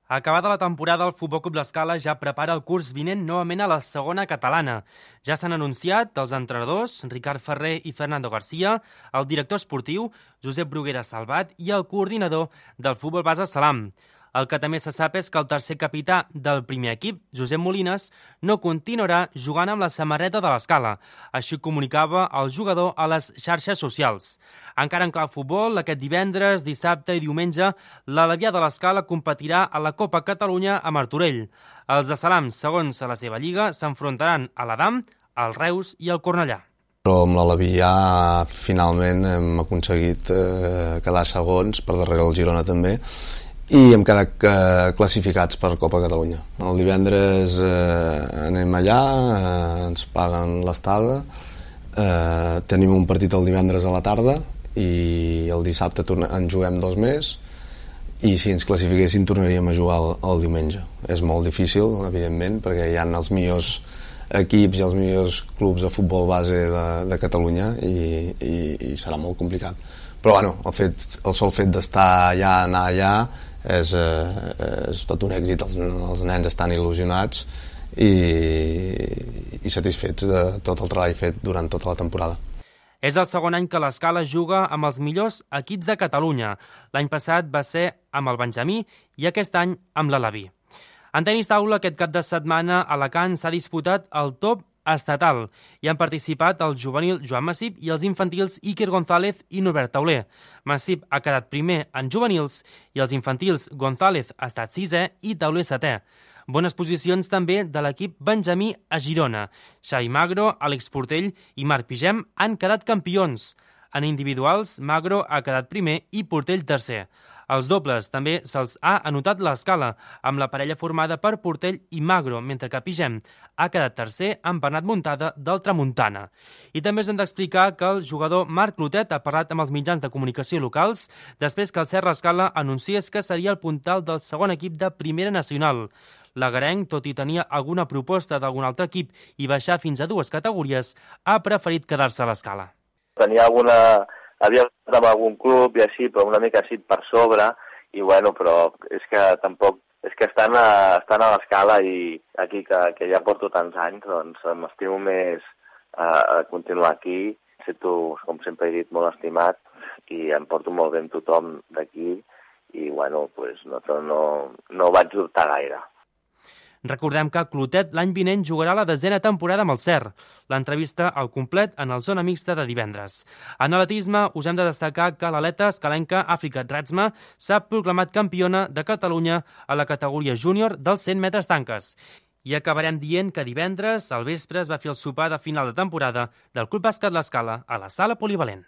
Acabada la temporada, el Futbol Club L'Escala ja prepara el curs vinent novament a la segona catalana. Ja s'han anunciat els entrenadors, Ricard Ferrer i Fernando García, el director esportiu, Josep Bruguera Salvat, i el coordinador del Futbol Base Salam. El que també se sap és que el tercer capità del primer equip, Josep Molines, no continuarà jugant amb la samarreta de l'Escala. Així comunicava el jugador a les xarxes socials. Encara en clau futbol, aquest divendres, dissabte i diumenge, l'Alevià de l'Escala competirà a la Copa Catalunya a Martorell. Els de Salam, segons la seva lliga, s'enfrontaran a l'Adam, al Reus i al Cornellà. Però amb l'Alevià finalment hem aconseguit quedar segons, per darrere el Girona també, i hem quedat classificats per Copa Catalunya. El divendres anem allà, ens paguen l'estada, tenim un partit el divendres a la tarda i el dissabte en juguem 2 més i si ens classifiquéssim tornaríem a jugar el diumenge. És molt difícil, evidentment, perquè hi ha els millors equips i els millors clubs de futbol base de Catalunya i serà molt complicat. Però bueno, el sol fet d'estar allà, anar allà, és tot un èxit. Els nens estan il·lusionats i satisfets de tot el treball fet durant tota la temporada. És el segon any que l'Escala juga amb els millors equips de Catalunya. L'any passat va ser amb el Benjamí i aquest any amb l'Aleví. En tenis taula, aquest cap de setmana a Alacant s'ha disputat el top estatal. Hi han participat el juvenil Joan Massip i els infantils Iker González i Norbert Tauler. Massip ha quedat primer en juvenils i els infantils González ha estat 6è i Tauler 7è. Bones posicions també de l'equip Benjamí a Girona. Xavi Magro, Àlex Portell i Marc Pigem han quedat campions. En individuals, Magro ha quedat primer i Portell tercer. Els dobles també se'ls ha anotat l'Escala, amb la parella formada per Portell i Magro, mentre que Pigem ha quedat tercer amb Bernat Muntada del Tramuntana. I també us hem d'explicar que el jugador Marc Clotet ha parlat amb els mitjans de comunicació locals després que el Serra Escala anunciés que seria el puntal del segon equip de Primera Nacional. L'agarenc, tot i tenir alguna proposta d'algun altre equip i baixar fins a 2 categories, ha preferit quedar-se a l'Escala. Havia estat amb algun club i així, però una mica així per sobre, i bueno, però és que tampoc, és que estan a l'Escala i aquí que ja porto tants anys, doncs m'estimo més a continuar aquí. Sento, com sempre he dit, molt estimat i em porto molt bé amb tothom d'aquí i bueno, pues, no vaig dubtar gaire. Recordem que Clotet l'any vinent jugarà la 10a temporada amb el CER. L'entrevista al complet en el Zona Mixta de divendres. En atletisme us hem de destacar que l'atleta escalenca Àfrica Ratsma s'ha proclamat campiona de Catalunya a la categoria júnior dels 100 metres tanques. I acabarem dient que divendres al vespre es va fer el sopar de final de temporada del Club Bàsquet L'Escala a la Sala Polivalent.